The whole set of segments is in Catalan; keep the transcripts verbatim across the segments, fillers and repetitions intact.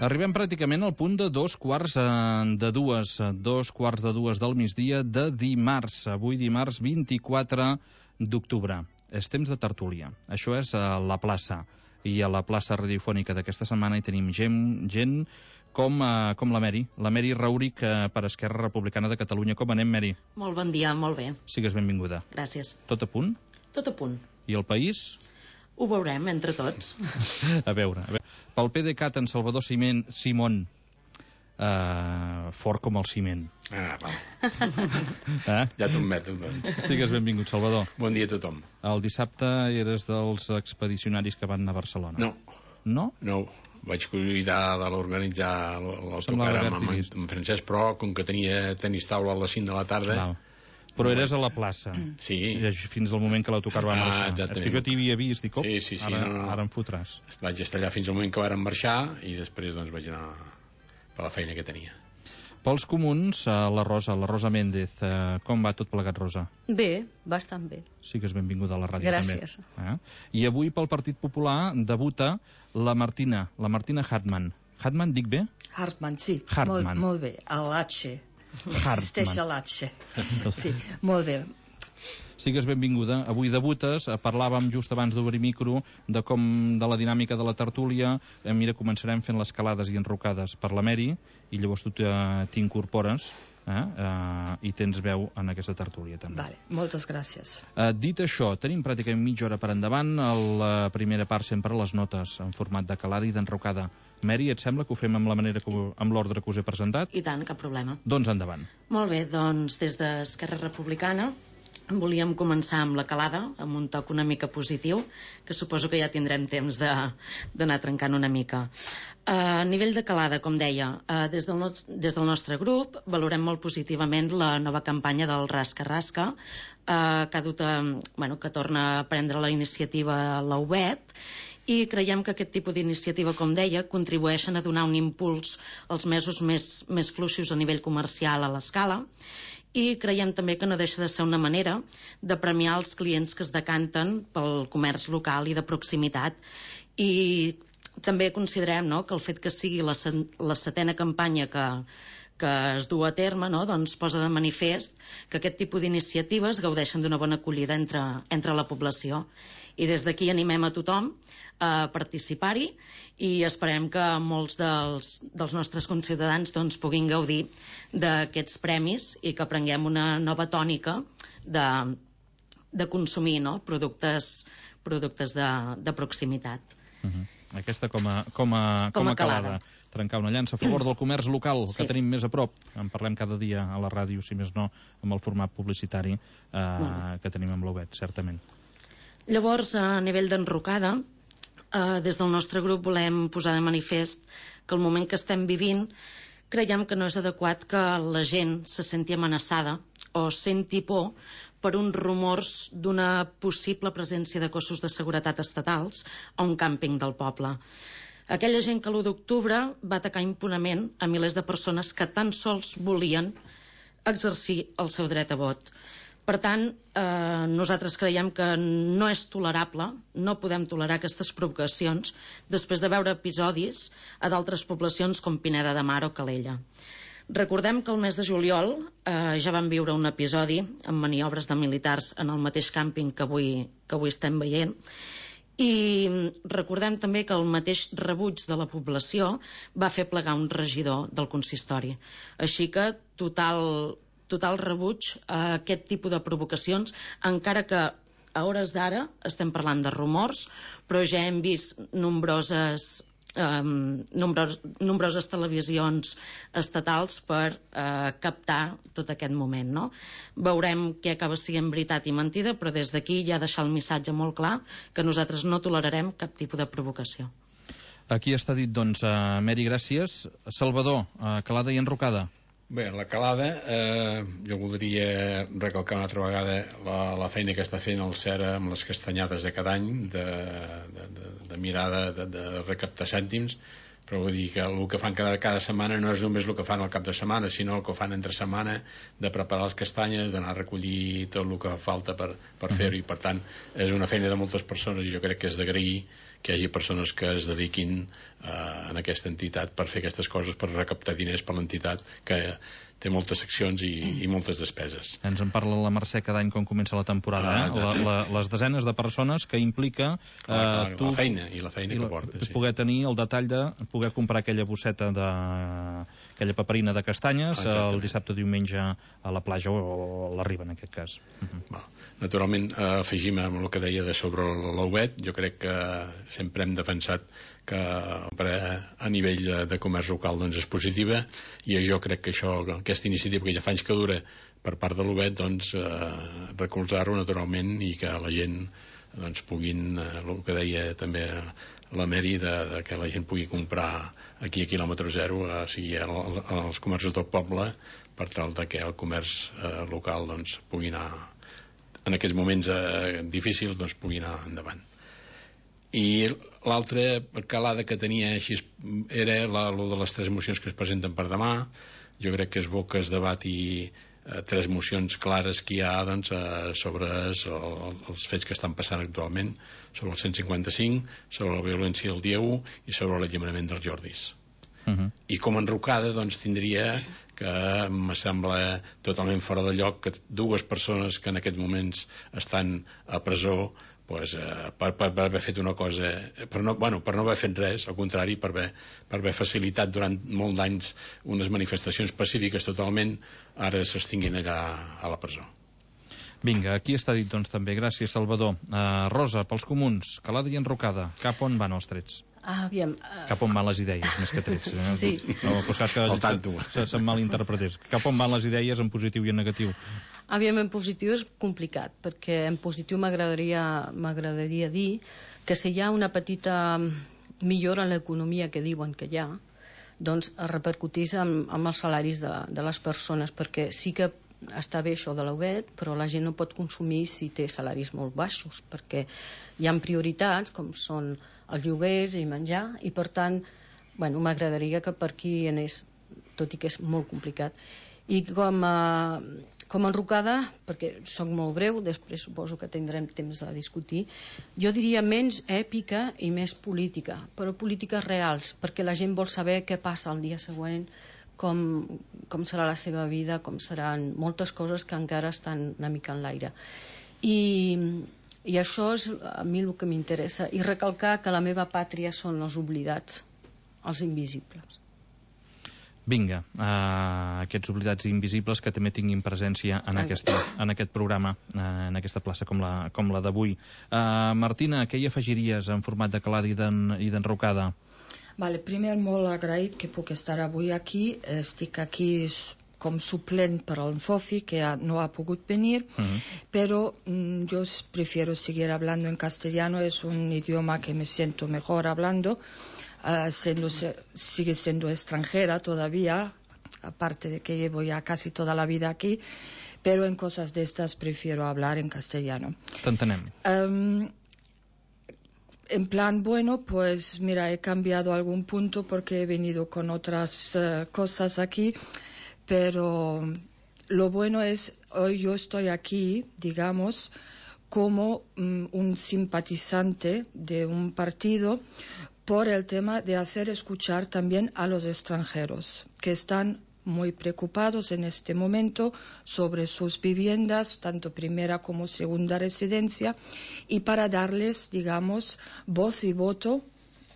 Arribem pràcticament al punt de dos quarts de dues, dos quarts de dues del migdia de dimarts, avui dimarts vint-i-quatre d'octubre. És temps de tertúlia. Això és a la plaça. I a la plaça radiofònica d'aquesta setmana hi tenim gent, gent com, uh, com la Mary, la Mary Rauric uh, per Esquerra Republicana de Catalunya. Com anem, Mary? Molt bon dia, molt bé. Sigues benvinguda. Gràcies. Tot a punt? Tot a punt. I el país? Ho veurem entre tots. a veure, a veure. Pel PDeCAT, en Salvador Ciment, Simón, uh, fort com el ciment. Ah, va. eh? Ja t'admeto, doncs. Sigues benvingut, Salvador. Bon dia a tothom. El dissabte eres dels expedicionaris que van anar a Barcelona. No. No? No. Vaig cuidar de l'organitzar l'autocar amb, amb, amb Francesc, però com que tenia tenis taula a les cinc de la tarda... Val. Però eres a la plaça. Sí. Fins al moment que l'autocar va marxar. Ah, és que jo t'hi havia vist, dic, oh, sí, sí, sí, ara, no, no. ara em fotràs. Vaig estar allà fins al moment que varen marxar i després doncs vaig anar per la feina que tenia. Pels comuns, la Rosa, la Rosa Méndez, eh, com va tot plegat, Rosa? Bé, bastant bé. Sí que és benvinguda a la ràdio. Gràcies. També. Eh? I avui pel Partit Popular debuta la Martina, la Martina Hartmann. Hartmann, dic bé? Hartmann, sí. Hartmann. Molt, molt bé. A l'H. Hartmann. Existeix a l'H. Sí, molt bé. Sigues benvinguda. Avui debutes, parlàvem just abans d'obrir micro de com de la dinàmica de la tertúlia. Eh, mira, començarem fent les calades i enrocades per la Mary i llavors tu t'incorpores eh, eh, i tens veu en aquesta tertúlia també. Vale, moltes gràcies. Eh, dit això, tenim pràcticament mitja hora per endavant. A la primera part sempre les notes en format de calada i d'enrocada. Mary, et sembla que ho fem amb la manera que, amb l'ordre que us he presentat? I tant, cap problema. Doncs endavant. Molt bé, doncs des d'Esquerra Republicana volíem començar amb la calada, amb un toc una mica positiu, que suposo que ja tindrem temps d'anar trencant una mica. Uh, a nivell de calada, com deia, uh, des, del no, des del nostre grup valorem molt positivament la nova campanya del Rasca Rasca, uh, que, ha dut a, bueno, que torna a prendre la iniciativa la U B E T, i creiem que aquest tipus d'iniciativa, com deia, contribueixen a donar un impuls als mesos més, més fluixos a nivell comercial a l'escala, i creiem també que no deixa de ser una manera de premiar els clients que es decanten pel comerç local i de proximitat. I també considerem, no?, que el fet que sigui la, la setena campanya que, que es du a terme, no?, doncs posa de manifest que aquest tipus d'iniciatives gaudeixen d'una bona acollida entre, entre la població. I des d'aquí animem a tothom a participar-hi i esperem que molts dels, dels nostres conciutadans doncs, puguin gaudir d'aquests premis i que prenguem una nova tònica de, de consumir, no?, productes, productes de, de proximitat. Uh-huh. Aquesta com a, com a, com com a a calada. calada. Trencar una llança a favor del comerç local, Sí. que tenim més a prop. En parlem cada dia a la ràdio, si més no, amb el format publicitari eh, que tenim amb l'U B E T, certament. Llavors, a nivell d'enrocada, eh, des del nostre grup volem posar de manifest que el moment que estem vivint creiem que no és adequat que la gent se senti amenaçada o senti por per uns rumors d'una possible presència de cossos de seguretat estatals a un càmping del poble. Aquella gent que l'u d'octubre va atacar impunament a milers de persones que tan sols volien exercir el seu dret a vot. Per tant, eh, nosaltres creiem que no és tolerable, no podem tolerar aquestes provocacions després de veure episodis a d'altres poblacions com Pineda de Mar o Calella. Recordem que el mes de juliol eh, ja vam viure un episodi amb maniobres de militars en el mateix càmping que avui, que avui estem veient, i recordem també que el mateix rebuig de la població va fer plegar un regidor del consistori. Així que total... total rebuig a aquest tipus de provocacions, encara que a hores d'ara estem parlant de rumors, però ja hem vist nombroses, um, nombros, nombroses televisions estatals per uh, captar tot aquest moment, no? Veurem què acaba sent veritat i mentida, però des d'aquí ja deixar el missatge molt clar que nosaltres no tolerarem cap tipus de provocació. Aquí està dit, doncs, uh, Mary, gràcies. Salvador, uh, calada i enrocada. Bé, la calada, eh, jo voldria recalcar una altra vegada la, la feina que està fent el CERA amb les castanyades de cada any, de, de, de, de mirar de, de, de recaptar cèntims, però vull dir que el que fan cada, cada setmana no és només el que fan al cap de setmana, sinó el que fan entre setmana, de preparar les castanyes, d'anar a recollir tot el que falta per, per fer-ho, i per tant és una feina de moltes persones, i jo crec que és d'agrair que hi hagi persones que es dediquin eh, en aquesta entitat per fer aquestes coses, per recaptar diners per l'entitat, que té moltes seccions i, i moltes despeses. Ens en parla la Mercè cada any quan comença la temporada, ah, eh? la, la, les desenes de persones que implica clar, clar, eh, tu, la feina i la feina i que la, porta, sí. Poder tenir el detall de poder comprar aquella bosseta de aquella paperina de castanyes el dissabte o diumenge a la platja o a la riba, en aquest cas. Uh-huh. Naturalment, eh, afegim amb el que deia de sobre l'ouet. Jo crec que sempre hem defensat que a nivell de, de comerç local doncs és positiva, i jo crec que això, aquesta iniciativa que ja fa anys que dura per part de l'Ouet, doncs eh, recolzar-ho naturalment, i que la gent doncs puguin, eh, el que deia també la Mary, de, de que la gent pugui comprar aquí a quilòmetre zero, eh, sigui als comerços del poble, per tal de que el comerç eh, local doncs pugui anar, en aquests moments eh, difícils, doncs pugui anar endavant. I l'altra calada que tenia així era la, lo de les tres mocions que es presenten per demà. Jo crec que és bo que es debati eh, tres mocions clares que hi ha doncs, eh, sobre els, els fets que estan passant actualment, sobre el cent cinquanta-cinc, sobre la violència del dia u i sobre l'alliberament dels Jordis. Uh-huh. I com a enrocada doncs, tindria que em sembla totalment fora de lloc que dues persones que en aquests moments estan a presó, pues, eh, per, per, per haver fet una cosa, per no, bueno, per no haver fet res, al contrari, per haver, per haver facilitat durant molt d'anys unes manifestacions pacífiques totalment, ara s'extinguin allà a la presó. Vinga, aquí està dit doncs també. Gràcies, Salvador. Uh, Rosa, pels comuns, calada i enrocada, cap on van els trets? Ah, aviam, uh... Cap on van les idees, més que trets. Eh? Sí. No, pues que al tanto. Se, se'n malinterpretés. Cap on van les idees en positiu i en negatiu? Aviam, en positiu és complicat, perquè en positiu m'agradaria m'agradaria dir que si hi ha una petita millora en l'economia que diuen que hi ha, doncs repercutís en, en els salaris de, de les persones, perquè sí que està bé això de l'Ouet, però la gent no pot consumir si té salaris molt baixos, perquè hi ha prioritats com són els lloguers i menjar, i per tant, bueno, m'agradaria que per aquí anés, tot i que és molt complicat. I com a, com a enrocada, perquè soc molt breu, després suposo que tindrem temps de discutir, jo diria menys èpica i més política, però polítiques reals, perquè la gent vol saber què passa el dia següent, com, com serà la seva vida, com seran moltes coses que encara estan una mica en l'aire. I, i això és a mi el que m'interessa, i recalcar que la meva pàtria són els oblidats, els invisibles. Vinga, uh, aquests oblidats invisibles que també tinguin presència en, aquesta, en aquest programa, uh, en aquesta plaça com la, com la d'avui. Uh, Martina, què hi afegiries en format de calada i d'enrocada? Vale, primer molt agraït que puc estar avui aquí. Estic aquí com suplent per al Fofi, que no ha pogut venir, uh-huh. pero mm, yo prefiero seguir hablando en castellano. Es un idioma que me siento mejor hablando. Uh, siendo, sigue siendo extranjera todavía, aparte de que llevo ya casi toda la vida aquí, pero en cosas de estas prefiero hablar en castellano. T'entenem. Um, en plan, bueno, pues mira, he cambiado algún punto porque he venido con otras uh, cosas aquí, pero lo bueno es, hoy yo estoy aquí, digamos, como um, un simpatizante de un partido, por el tema de hacer escuchar también a los extranjeros, que están muy preocupados en este momento sobre sus viviendas, tanto primera como segunda residencia, y para darles, digamos, voz y voto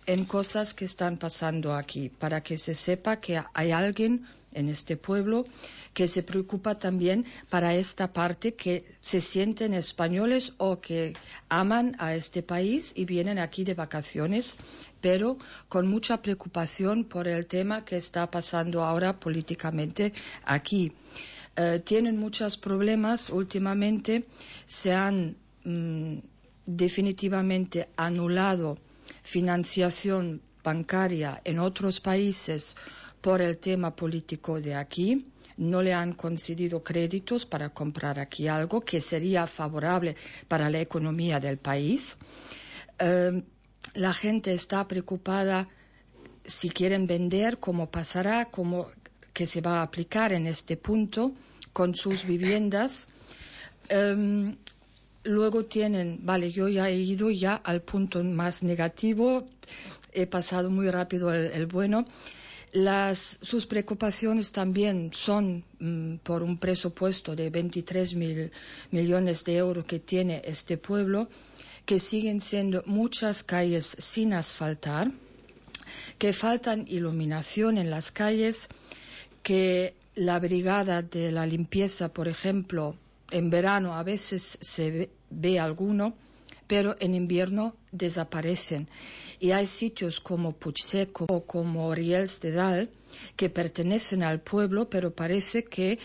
en cosas que están pasando aquí, para que se sepa que hay alguien en este pueblo que se preocupa también para esta parte, que se sienten españoles o que aman a este país y vienen aquí de vacaciones, pero con mucha preocupación por el tema que está pasando ahora políticamente aquí. Eh, tienen muchos problemas últimamente, se han mm, definitivamente anulado financiación bancaria en otros países por el tema político de aquí. No le han concedido créditos para comprar aquí algo que sería favorable para la economía del país. Eh, la gente está preocupada si quieren vender, cómo pasará, cómo que se va a aplicar en este punto con sus viviendas. Um, luego tienen, vale, yo ya he ido ya al punto más negativo, he pasado muy rápido el, el bueno. Las, sus preocupaciones también son mm, por un presupuesto de veintitrés mil millones de euros que tiene este pueblo, que siguen siendo muchas calles sin asfaltar, que faltan iluminación en las calles, que la brigada de la limpieza, por ejemplo, en verano a veces se ve, ve alguno, pero en invierno desaparecen. Y hay sitios como Puigseco o como Riels de Dalt que pertenecen al pueblo, pero parece que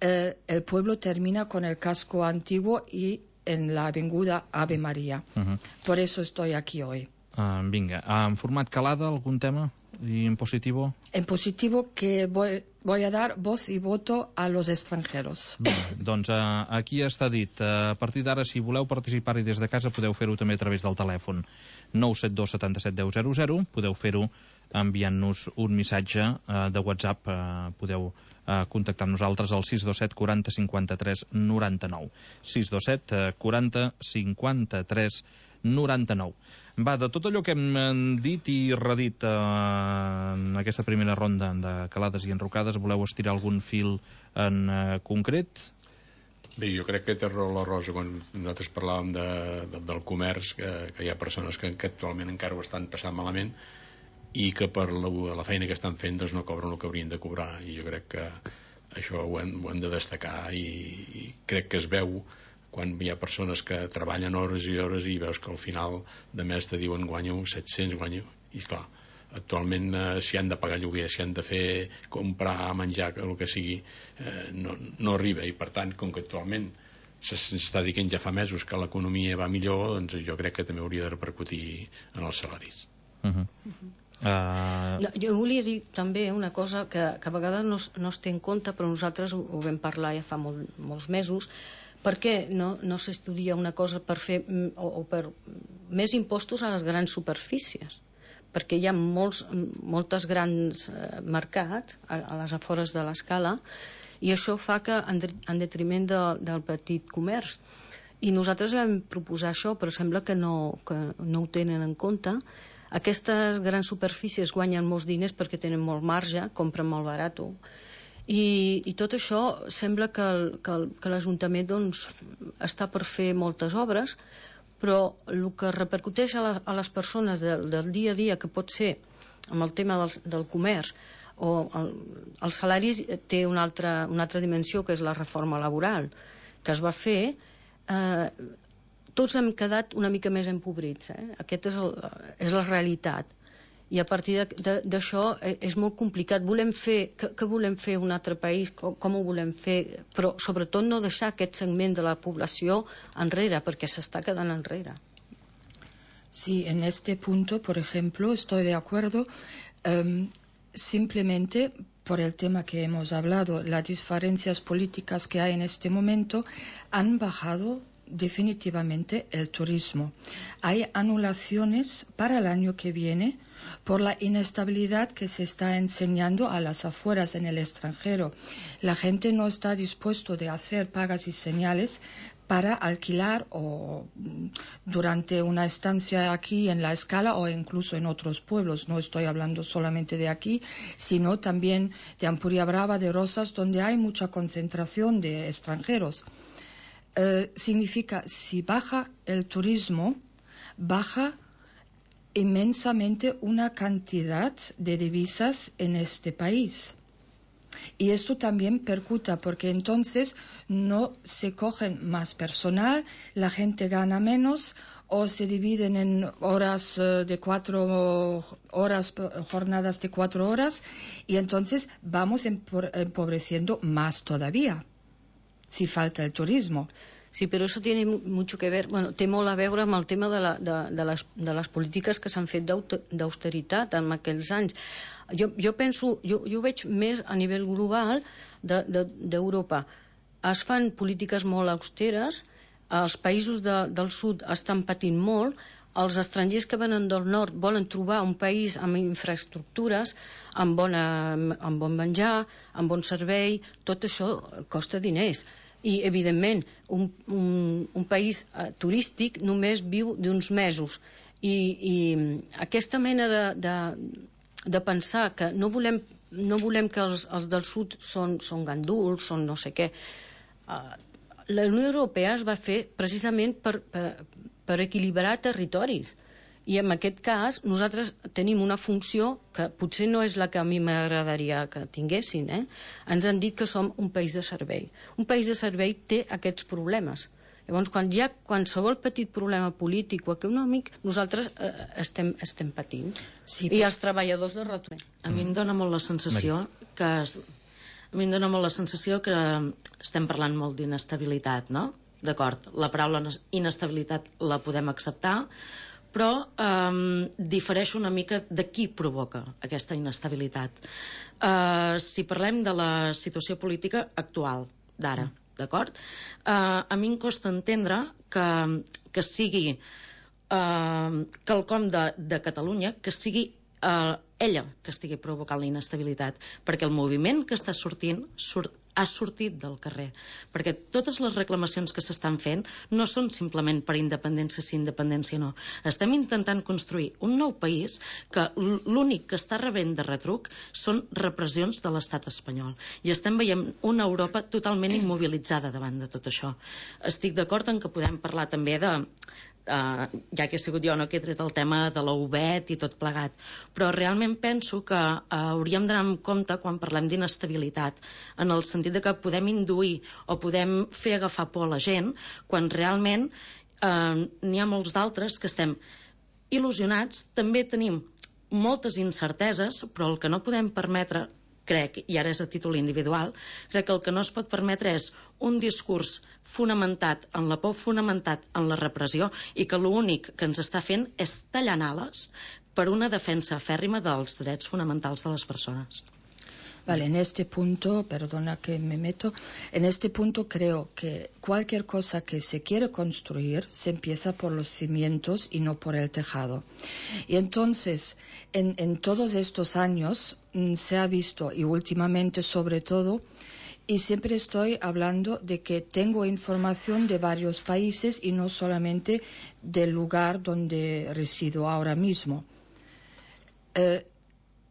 eh, el pueblo termina con el casco antiguo y en la avinguda Ave María. Uh-huh. Por eso estoy aquí hoy. Uh, vinga, en format calada, algun tema? I en positivo? En positivo que voy, voy a dar voz y voto a los extranjeros. Bé, doncs uh, aquí està dit. Uh, a partir d'ara, si voleu participar-hi des de casa, podeu fer-ho també a través del telèfon nou set dos setanta set deu zero zero. Podeu fer-ho enviant-nos un missatge uh, de WhatsApp. Uh, podeu uh, contactar amb nosaltres al sis dos set quaranta cinquanta tres noranta-nou. sis dos set quaranta cinquanta tres noranta-nou. Va, de tot allò que hem dit i redit eh, en aquesta primera ronda de calades i enrocades, voleu estirar algun fil en eh, concret? Bé, jo crec que té raó la Rosa quan nosaltres parlàvem de, de, del comerç, que, que hi ha persones que, que actualment encara ho estan passant malament i que per la, la feina que estan fent doncs no cobren el que haurien de cobrar, i jo crec que això ho hem, ho hem de destacar, i, i crec que es veu quan hi ha persones que treballen hores i hores i veus que al final de mes te diuen guanyo set-cents, guanyo, i clar, actualment eh, si han de pagar lloguer, si han de fer comprar, menjar, el que sigui, eh, no, no arriba, i per tant, com que actualment s'està dient ja fa mesos que l'economia va millor, doncs jo crec que també hauria de repercutir en els salaris. Uh-huh. Uh-huh. Uh... No, jo volia dir també una cosa que, que a vegades no, no es té en compte, però nosaltres ho, ho vam parlar ja fa molt, molts mesos. Per què no, no s'estudia una cosa per fer o, o per més impostos a les grans superfícies? Perquè hi ha molts, moltes grans eh, mercats a, a les afores de l'escala, i això fa que en, en detriment de, del petit comerç. I nosaltres vam proposar això, però sembla que no, que no ho tenen en compte. Aquestes grans superfícies guanyen molts diners perquè tenen molt marge, compren molt barat. I, i tot això sembla que, el, que, el, que l'Ajuntament doncs, està per fer moltes obres, però el que repercuteix a, la, a les persones del, del dia a dia, que pot ser amb el tema del, del comerç o el, els salaris, té una altra, una altra dimensió, que és la reforma laboral que es va fer. Eh, tots hem quedat una mica més empobrits, eh? Aquesta és, el, és la realitat. I a partir d'això és molt complicat. Volem fer, què, què volem fer un altre país? Com, com ho volem fer? Però sobretot no deixar aquest segment de la població enrere, perquè s'està quedant enrere. Sí, en este punto, por ejemplo, estoy de acuerdo. Um, simplemente por el tema que hemos hablado, las diferencias políticas que hay en este momento han bajado definitivamente el turismo. Hay anulaciones para el año que viene por la inestabilidad que se está enseñando a las afueras en el extranjero. La gente no está dispuesto de hacer pagas y señales para alquilar o durante una estancia aquí en la Escala o incluso en otros pueblos. No estoy hablando solamente de aquí, sino también de Ampuria Brava, de Rosas, donde hay mucha concentración de extranjeros. Eh, significa, si baja el turismo, baja inmensamente una cantidad de divisas en este país. Y esto también percuta, porque entonces no se cogen más personal, la gente gana menos, o se dividen en horas de cuatro horas, jornadas de cuatro horas, y entonces vamos empobreciendo más todavía, si falta el turismo. Sí, però això tiene mucho que ver, bueno, té molt a veure amb el tema de, la, de, de, les, de les polítiques que s'han fet d'austeritat en aquells anys. Jo, jo penso, jo, jo ho veig més a nivell global d'Europa. De, de, es fan polítiques molt austeres, els països de, del sud estan patint molt, els estrangers que venen del nord volen trobar un país amb infraestructures, amb, bona, amb bon menjar, amb bon servei, tot això costa diners. I, evidentment, un, un, un país eh, turístic només viu d'uns mesos. I, i aquesta mena de, de, de pensar que no volem, no volem que els, els del sud són, són ganduls, són no sé què... Eh, la Unió Europea es va fer precisament per, per, per equilibrar territoris. I en aquest cas nosaltres tenim una funció que potser no és la que a mi m'agradaria que tinguessin. Eh? Ens han dit que som un país de servei. Un país de servei té aquests problemes. Llavors, quan hi ha qualsevol petit problema polític o econòmic, nosaltres eh, estem, estem patint. Sí, I els treballadors de retorn. A mi em dóna molt la sensació que... Es... A mi em dóna molt la sensació que estem parlant molt d'inestabilitat, no? D'acord, la paraula inestabilitat la podem acceptar, però eh, difereix una mica de qui provoca aquesta inestabilitat. Eh, si parlem de la situació política actual, d'ara, d'acord? Eh, a mi em costa entendre que, que sigui eh, quelcom de, de Catalunya, que sigui eh, ella que estigui provocant la inestabilitat, perquè el moviment que està sortint surt, ha sortit del carrer, perquè totes les reclamacions que s'estan fent no són simplement per independència sí, independència no. Estem intentant construir un nou país que l'únic que està rebent de retruc són repressions de l'estat espanyol, i estem veient una Europa totalment immobilitzada davant de tot això. Estic d'acord en que podem parlar també de Uh, ja que he sigut jo no, que he tret el tema de l'O V E T i tot plegat, però realment penso que uh, hauríem d'anar amb compte quan parlem d'inestabilitat, en el sentit de que podem induir o podem fer agafar por a la gent, quan realment uh, n'hi ha molts d'altres que estem il·lusionats, també tenim moltes incerteses, però el que no podem permetre, crec, i ara és a títol individual, crec que el que no es pot permetre és un discurs fonamentat en la por, fonamentat en la repressió, i que l'únic que ens està fent és tallant ales per una defensa fèrrima dels drets fonamentals de les persones. Vale, en este punto, perdona que me meto, en este punto creo que cualquier cosa que se quiere construir se empieza por los cimientos y no por el tejado. Y entonces, en, en todos estos años mm, se ha visto, y últimamente sobre todo, y siempre estoy hablando de que tengo información de varios países y no solamente del lugar donde resido ahora mismo. Eh,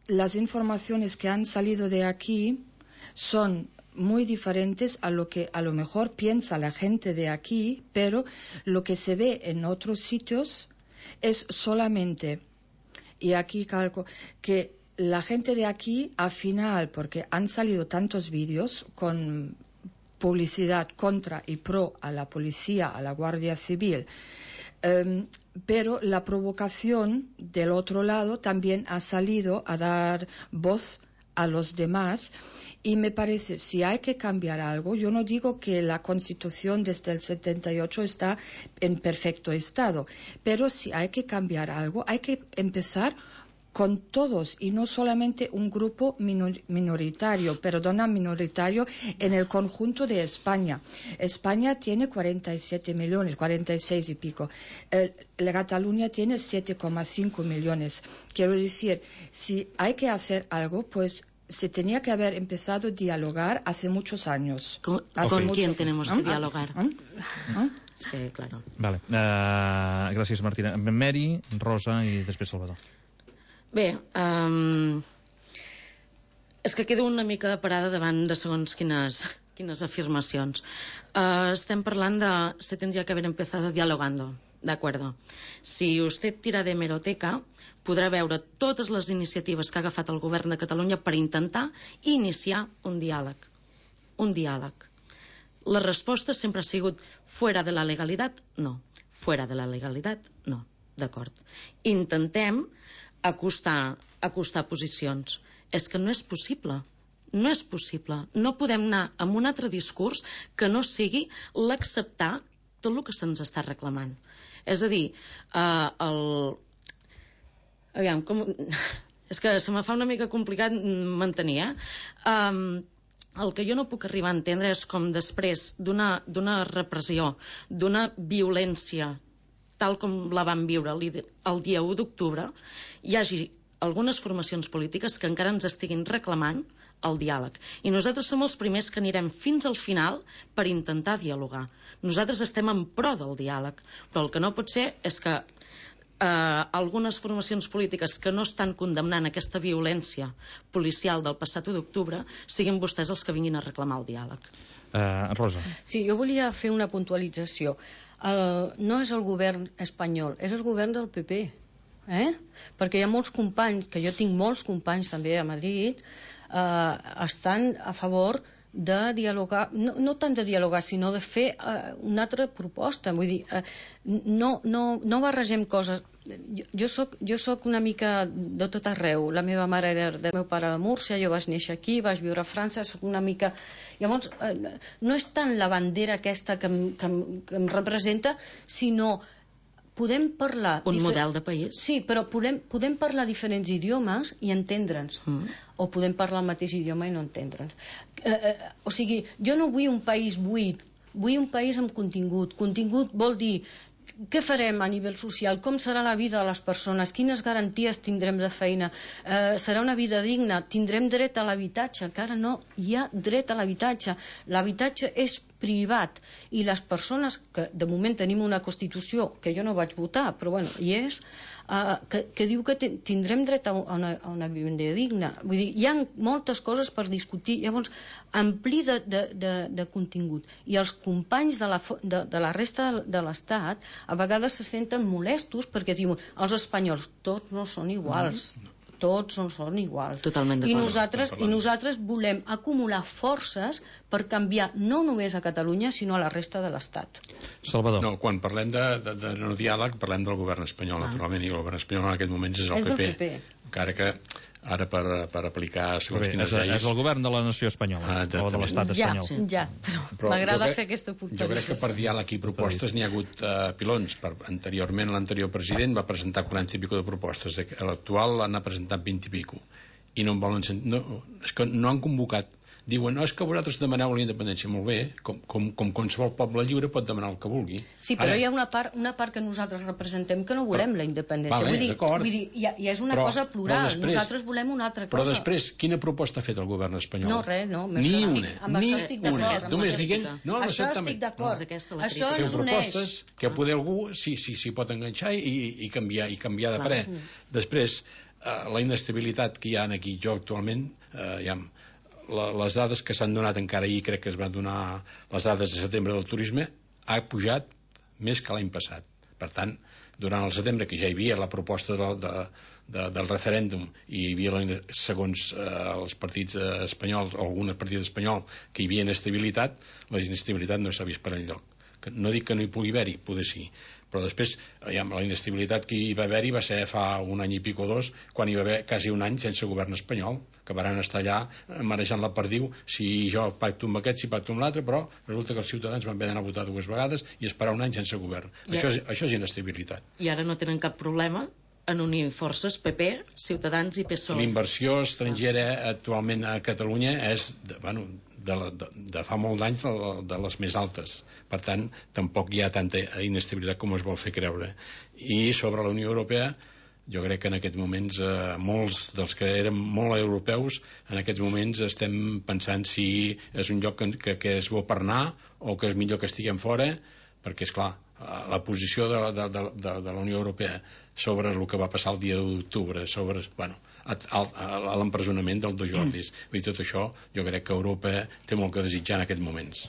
las informaciones que han salido de aquí son muy diferentes a lo que a lo mejor piensa la gente de aquí, pero lo que se ve en otros sitios es solamente, y aquí calco, que la gente de aquí, al final, porque han salido tantos vídeos con publicidad contra y pro a la policía, a la Guardia Civil, um, pero la provocación del otro lado también ha salido a dar voz a los demás. Y me parece, si hay que cambiar algo, yo no digo que la Constitución desde el setenta y ocho está en perfecto estado, pero si hay que cambiar algo, hay que empezar con todos y no solamente un grupo minor, minoritario, perdona, minoritario en el conjunto de España. España tiene cuarenta y siete millones, cuarenta y seis y pico. Eh, la Cataluña tiene siete coma cinco millones. Quiero decir, si hay que hacer algo, pues se tenía que haber empezado a dialogar hace muchos años. ¿Con, hace ¿con mucho... quién tenemos que ¿Ah? dialogar? ¿Ah? ¿Ah? Es que, claro. Vale. Uh, gràcies, Martina. Mary, Rosa i després Salvador. Bé, um, és que quedo una mica parada davant de segons quines, quines afirmacions. Uh, estem parlant de se tendría que haber empezado dialogando, de acuerdo. Si usted tira de hemeroteca, podrà veure totes les iniciatives que ha agafat el govern de Catalunya per intentar iniciar un diàleg. Un diàleg. La resposta sempre ha sigut fuera de la legalitat, no. Fuera de la legalitat, no. D'acord. Intentem acostar, acostar posicions. És que no és possible. No és possible. No podem anar amb un altre discurs que no sigui l'acceptar tot el que se'ns està reclamant. És a dir, eh, el... Aviam, com... és que se me fa una mica complicat mantenir, eh? Um, el que jo no puc arribar a entendre és com després d'una d'una repressió, d'una violència tal com la vam viure el dia u d'octubre, hi hagi algunes formacions polítiques que encara ens estiguin reclamant el diàleg. I nosaltres som els primers que anirem fins al final per intentar dialogar. Nosaltres estem en pro del diàleg, però el que no pot ser és que eh, algunes formacions polítiques que no estan condemnant aquesta violència policial del passat u d'octubre siguin vostès els que vinguin a reclamar el diàleg. Uh, Rosa. Sí, jo volia fer una puntualització. El, no és el govern espanyol, és el govern del P P. Eh? Perquè hi ha molts companys, que jo tinc molts companys també a Madrid, eh, estan a favor de dialogar, no, no tant de dialogar, sinó de fer eh, una altra proposta. Vull dir, eh, no, no, no barregem coses. Jo, jo, soc, jo soc una mica de tot arreu. La meva mare era del meu pare de Múrcia, jo vaig néixer aquí, vaig viure a França, soc una mica... Llavors, eh, no és tant la bandera aquesta que em, que em, que em representa, sinó podem parlar... Un model de país. Sí, però podem, podem parlar diferents idiomes i entendre'ns. Mm. O podem parlar el mateix idioma i no entendre'ns. Eh, eh, o sigui, jo no vull un país buit, vull un país amb contingut. Contingut vol dir què farem a nivell social, com serà la vida de les persones, quines garanties tindrem de feina, eh, serà una vida digna, tindrem dret a l'habitatge, que ara no hi ha dret a l'habitatge. L'habitatge és privat i les persones, que de moment tenim una Constitució que jo no vaig votar, però bueno, hi és, uh, que, que diu que tindrem dret a una, a una vivenda digna. Vull dir, hi ha moltes coses per discutir, llavors ampli de, de, de, de contingut. I els companys de la, de, de la resta de l'Estat a vegades se senten molestos perquè diuen els espanyols tots no són iguals. Mm-hmm. Tots no són iguals. Totalment d'acord. I nosaltres, I nosaltres volem acumular forces per canviar no només a Catalunya, sinó a la resta de l'Estat. Salvador. No, quan parlem de, de, de no diàleg, parlem del govern espanyol, ah. naturalment, i el govern espanyol en aquest moment és el és P P. P P. Encara que ara per, per aplicar segons Bé, quines és, lleis... és el govern de la nació espanyola, ah, o de l'estat espanyol. Ja, ja, però, però m'agrada fer aquesta puntualització. Jo crec que per diàleg i propostes n'hi ha hagut uh, pilons. Per, anteriorment, l'anterior president va presentar quaranta i pico de propostes. L'actual n'ha presentat vint i pico. I no en volen sentir... No, és que no han convocat. Diuen, no, és que vosaltres demaneu la independència. Molt bé, com, com, com qualsevol poble lliure pot demanar el que vulgui. Sí, però Ara, hi ha una part, una part que nosaltres representem que no volem però, la independència. Vale, vull dir, vull dir ja, ja és una però, cosa plural. Després, nosaltres volem una altra cosa. Però després, quina proposta ha fet el govern espanyol? No, res, no. Ni això una. Estic, amb ni això estic d'acord. Només diguent... No, això estic d'acord. No, això ens uneix. Propostes que ah. poder algú s'hi sí, sí, pot enganxar i, i, canviar, i canviar de parer. Mm. Després, eh, la inestabilitat que hi ha aquí, jo actualment, eh, ja... La, les dades que s'han donat encara ahir, crec que es van donar les dades de setembre del turisme, ha pujat més que l'any passat. Per tant, durant el setembre, que ja hi havia la proposta de, de, de, del referèndum i hi havia, la, segons eh, els partits eh, espanyols o algun partit espanyol, que hi havia inestabilitat, la inestabilitat no s'ha vist per enlloc. No dic que no hi pugui haver-hi, poder sí, però després ja, la inestabilitat que hi va haver-hi va ser fa un any i pico o dos, quan hi va haver quasi un any sense govern espanyol, que van estar allà marejant la perdiu, si jo pacto amb aquest, si pacto amb l'altre, però resulta que els ciutadans van haver d'anar a votar dues vegades i esperar un any sense govern. I això, és, això és inestabilitat. I ara no tenen cap problema en unir forces, P P, Ciutadans i P S O E. L'inversió estrangera actualment a Catalunya és, de, bueno, de, de, de fa molt d'anys de les més altes. Per tant, tampoc hi ha tanta inestabilitat com es vol fer creure. I sobre la Unió Europea, jo crec que en aquests moments eh, molts dels que eren molt europeus en aquests moments estem pensant si és un lloc que, que, que és bo per anar o que és millor que estiguem fora, perquè és clar, la posició de, de, de, de, de la Unió Europea sobre el que va passar el dia d'octubre, sobre bueno, l'empresonament del dos Jordis, i tot això jo crec que Europa té molt que desitjar en aquests moments.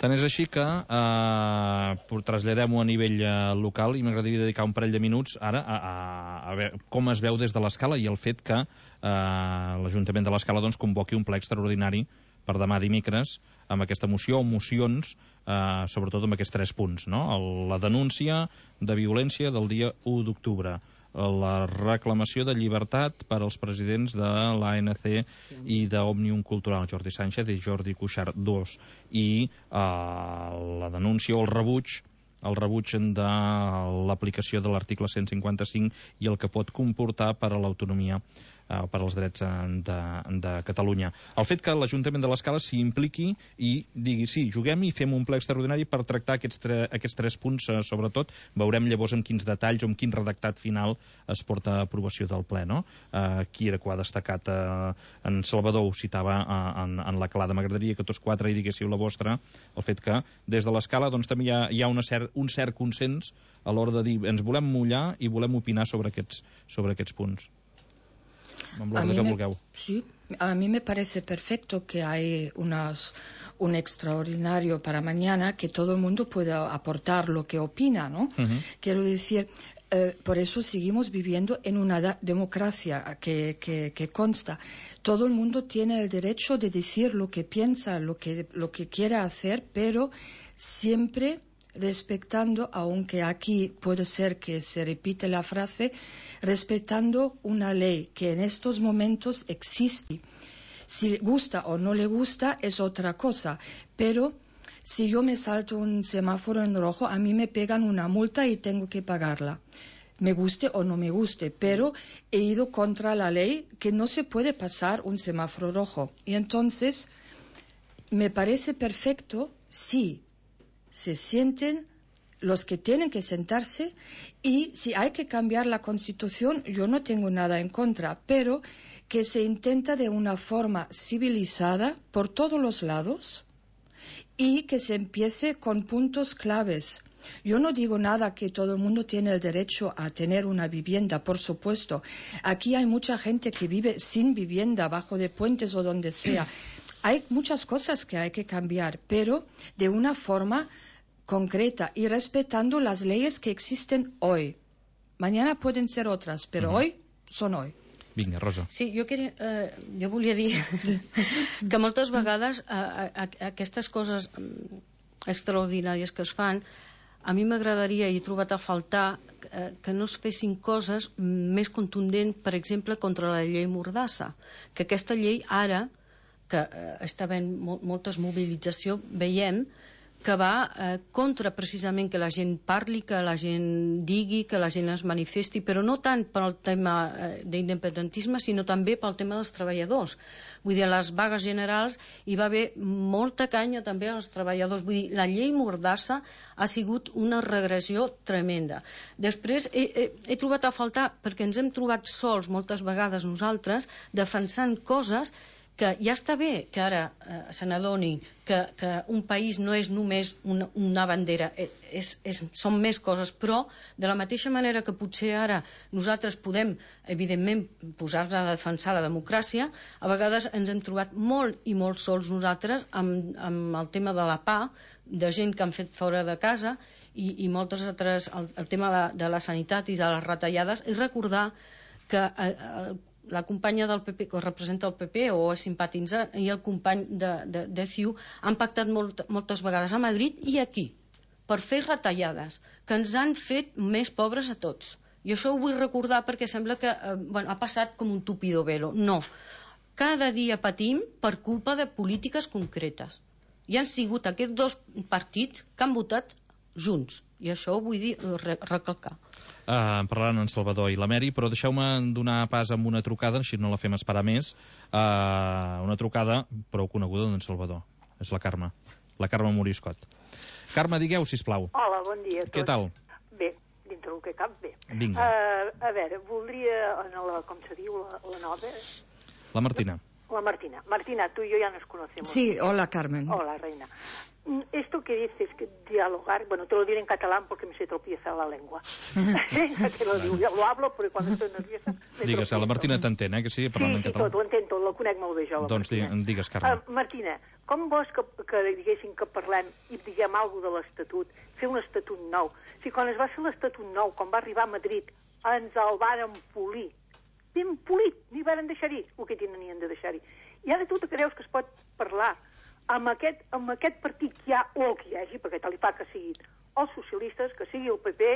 Tant és així que eh, traslladem-ho a nivell eh, local i m'agradaria dedicar un parell de minuts ara a, a, a veure com es veu des de l'Escala i el fet que eh, l'Ajuntament de l'Escala doncs, convoqui un ple extraordinari per demà dimecres amb aquesta moció o mocions, eh, sobretot amb aquests tres punts, no? La denúncia de violència del dia u d'octubre, la reclamació de llibertat per als presidents de l'A N C i d'Òmnium Cultural, Jordi Sánchez i Jordi Cuixart dos, i eh, la denúncia o el rebuig el rebuig de l'aplicació de l'article cent cinquanta-cinc i el que pot comportar per a l'autonomia eh, per als drets de, de Catalunya. El fet que l'Ajuntament de l'Escala s'hi impliqui i digui, sí, juguem i fem un ple extraordinari per tractar aquests, tre, aquests tres punts, eh, sobretot, veurem llavors amb quins detalls o amb quin redactat final es porta a aprovació del ple, no? Eh, qui era que ho ha destacat? Eh, en Salvador ho citava eh, en, en la Clara. M'agradaria que tots quatre hi diguéssiu la vostra, el fet que des de l'Escala doncs, també hi ha, hi ha una cert, un cert consens a l'hora de dir ens volem mullar i volem opinar sobre aquests, sobre aquests punts. Amb l'ordre que me, vulgueu. Sí, a mí me parece perfecto que hay unas, un extraordinario para mañana, que todo el mundo pueda aportar lo que opina, ¿no? Uh-huh. Quiero decir, eh, por eso seguimos viviendo en una da- democracia que, que, que consta. Todo el mundo tiene el derecho de decir lo que piensa, lo que, lo que quiere hacer, pero siempre respetando, aunque aquí puede ser que se repite la frase, respetando una ley que en estos momentos existe. Si le gusta o no le gusta es otra cosa, pero si yo me salto un semáforo en rojo, a mí me pegan una multa y tengo que pagarla. Me guste o no me guste, pero he ido contra la ley que no se puede pasar un semáforo rojo. Y entonces, me parece perfecto si se sienten los que tienen que sentarse, y si hay que cambiar la Constitución, yo no tengo nada en contra, pero que se intenta de una forma civilizada por todos los lados y que se empiece con puntos claves. Yo no digo nada que todo el mundo tiene el derecho a tener una vivienda, por supuesto. Aquí hay mucha gente que vive sin vivienda, bajo de puentes o donde sea. Hay muchas cosas que hay que cambiar, pero de una forma concreta y respetando las leyes que existen hoy. Mañana pueden ser otras, pero uh-huh. hoy son hoy. Vinga, Rosa. Sí, jo, queria, eh, jo volia dir que moltes vegades eh, eh, aquestes coses extraordinàries que es fan, a mi m'agradaria, i he trobat a faltar, eh, que no es fessin coses més contundents, per exemple, contra la llei Mordassa. Que aquesta llei ara, que eh, està havent mol moltes mobilitzacions, veiem que va eh, contra precisament que la gent parli, que la gent digui, que la gent es manifesti, però no tant pel tema eh, d'independentisme, sinó també pel tema dels treballadors. Vull dir, a les vagues generals hi va haver molta canya també als treballadors. Vull dir, la llei Mordassa ha sigut una regressió tremenda. Després he, he, he trobat a faltar, perquè ens hem trobat sols moltes vegades nosaltres, defensant coses que ja està bé que ara eh, se n'adoni que, que un país no és només una, una bandera, és, és, són més coses, però de la mateixa manera que potser ara nosaltres podem, evidentment, posar-nos a defensar la democràcia, a vegades ens hem trobat molt i molt sols nosaltres amb, amb el tema de la pah, de gent que han fet fora de casa i, i moltes altres, el, el tema de, de la sanitat i de les retallades, i recordar que eh, eh, la companya del P P, que representa el P P o és simpatitzant, i el company de, de, de C I U han pactat molt, moltes vegades a Madrid i aquí per fer retallades que ens han fet més pobres a tots. I això ho vull recordar perquè sembla que eh, bueno, ha passat com un tupido velo. No. Cada dia patim per culpa de polítiques concretes. I han sigut aquests dos partits que han votat junts. I això ho vull dir, re recalcar. Uh, parlant en Salvador i la Mary, però deixeu-me donar pas amb una trucada, així no la fem esperar més. Uh, una trucada prou coneguda d'en Salvador. És la Carme. La Carme Moriscot. Carme, digueu, sisplau. Hola, bon dia a tots. Què tal? Bé, dintre el que cap, bé. Vinga. Uh, a veure, voldria, en la, com se diu, la, la nova... La Martina. La Martina. Martina, tú y yo ya nos conocemos. Sí, hola, Carmen. Hola, reina. Esto que dices, que dialogar, bueno, te lo diré en catalán porque me se tropieza la lengua. Ya te lo digo, yo lo hablo porque cuando estoy nerviosa... Digues, la Martina t'entén, eh, que sí, parlant sí, en sí, català. Sí, tot, ho entenc tot, la conec molt bé jo, la doncs Martina. Doncs digues, Carme. Uh, Martina, com vols que, que diguéssim que parlem i diguem alguna de l'Estatut, fer un Estatut nou? Si quan es va fer l'Estatut nou, quan va arribar a Madrid, ens el varen polir. Ben polit, ni varen deixar-hi el que tenien de deixar-hi. I ara tu te creus que es pot parlar amb aquest, amb aquest partit que hi ha o el que hi hagi, perquè tal li fa que siguin els socialistes, que sigui el P P,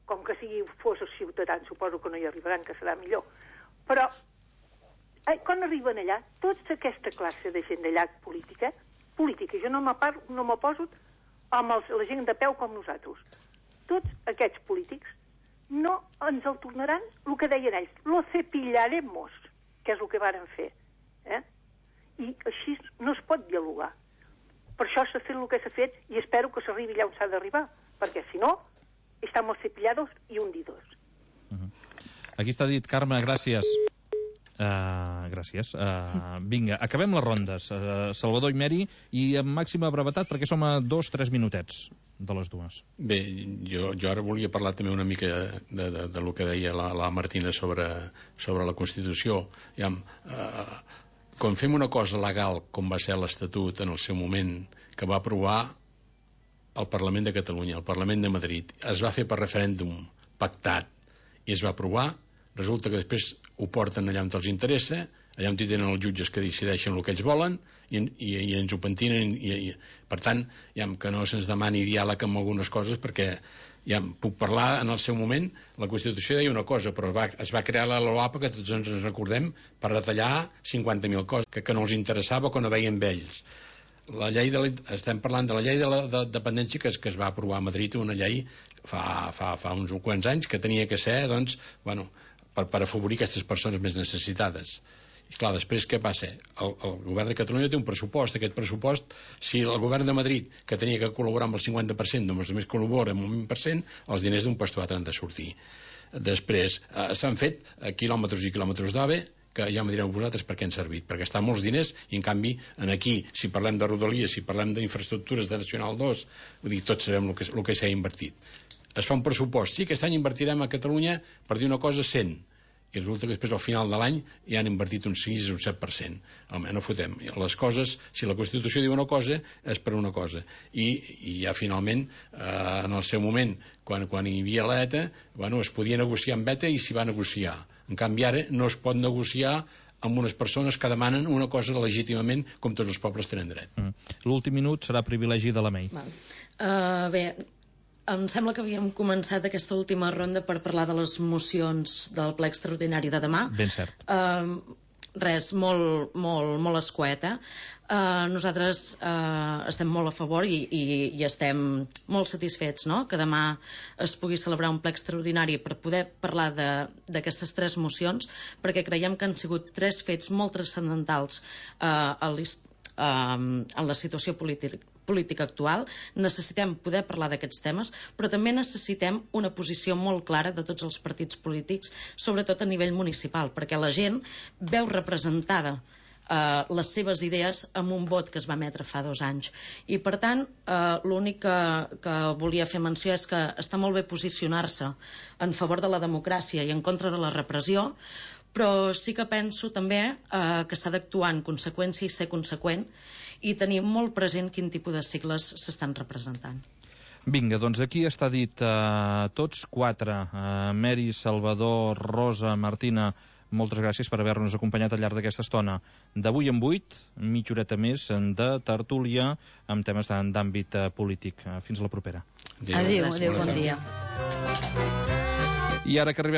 com que sigui fos els ciutadans, suposo que no hi arribaran, que serà millor. Però eh, quan arriben allà, tota aquesta classe de gent d'allà política, política, jo no me no poso amb els, la gent de peu com nosaltres. Tots aquests polítics no ens el tornaran el que deien ells, lo cepillaremos. que és el que varen fer. Eh? I així no es pot dialogar. Per això s'ha fet el que s'ha fet i espero que s'arribi allà on s'ha d'arribar, perquè si no, estamos cepillados i hundidos. Uh-huh. Aquí està dit, Carme, gràcies. Uh, gràcies. Uh, vinga, acabem les rondes. Uh, Salvador i Meri, i amb màxima brevetat, perquè som a dos, tres minutets de les dues. Bé, jo, jo ara volia parlar també una mica de, de, de lo que deia la, la Martina sobre, sobre la Constitució. Ja, uh, quan fem una cosa legal, com va ser l'Estatut en el seu moment, que va aprovar el Parlament de Catalunya, el Parlament de Madrid, es va fer per referèndum pactat i es va aprovar, resulta que després ho porten allà on els interessa, allà on hi tenen els jutges que decideixen el que ells volen i, i, i ens ho pentinen i, i, per tant, ja, que no se'ns demani diàleg amb algunes coses, perquè ja puc parlar en el seu moment. La Constitució deia una cosa, però va, es va crear la LOAPA, que tots ens recordem, per retallar cinquanta mil coses que, que no els interessava, que no veien vells. La llei de la, estem parlant de la llei de la de dependència que es, que es va aprovar a Madrid, una llei fa, fa, fa uns quants anys que tenia que ser, doncs, bueno, per, per afavorir aquestes persones més necessitades. I clar, després què passa? El, el govern de Catalunya té un pressupost. Aquest pressupost, si el govern de Madrid, que tenia que col·laborar amb el cinquanta per cent, només només col·labora amb un vint per cent, els diners d'un pastuat han de sortir. Després, eh, s'han fet eh, quilòmetres i quilòmetres d'AVE, que ja me direu vosaltres per què han servit, perquè estan molts diners i en canvi en aquí, si parlem de rodalies, si parlem d'infraestructures de Nacional dos, vull dir, tots sabem el que, el que s'ha invertit. Es fa un pressupost, sí, aquest any invertirem a Catalunya, per dir una cosa, cent, i resulta que després al final de l'any ja han invertit un sis o un set per cent. Home, no fotem. Les coses, si la Constitució diu una cosa, és per una cosa. I, i ja finalment, eh, en el seu moment, quan, quan hi havia l'ETA, bueno, es podia negociar amb ETA i s'hi va negociar. En canvi ara no es pot negociar amb unes persones que demanen una cosa legítimament com tots els pobles tenen dret. Mm. L'últim minut serà privilegi de la Mei. Uh, bé, em sembla que havíem començat aquesta última ronda per parlar de les mocions del ple extraordinari de demà. Ben cert. Uh, res, molt, molt, molt escueta. Uh, nosaltres uh, estem molt a favor i, i, i estem molt satisfets, no?, que demà es pugui celebrar un ple extraordinari per poder parlar d'aquestes tres mocions, perquè creiem que han sigut tres fets molt transcendentals uh, a l'història en la situació política, política actual. Necessitem poder parlar d'aquests temes, però també necessitem una posició molt clara de tots els partits polítics, sobretot a nivell municipal, perquè la gent veu representada eh, les seves idees amb un vot que es va emetre fa dos anys. I per tant, eh, l'únic que, que volia fer menció és que està molt bé posicionar-se en favor de la democràcia i en contra de la repressió, però sí que penso també eh, que s'ha d'actuar en conseqüència i ser conseqüent i tenir molt present quin tipus de sigles s'estan representant. Vinga, doncs aquí està dit eh, tots quatre, eh, Meri, Salvador, Rosa, Martina, moltes gràcies per haver-nos acompanyat al llarg d'aquesta estona. D'avui en vuit, mitja horeta més de tertúlia amb temes d'àmbit polític. Fins la propera. Adéu, adéu, bon dia. I ara que arribem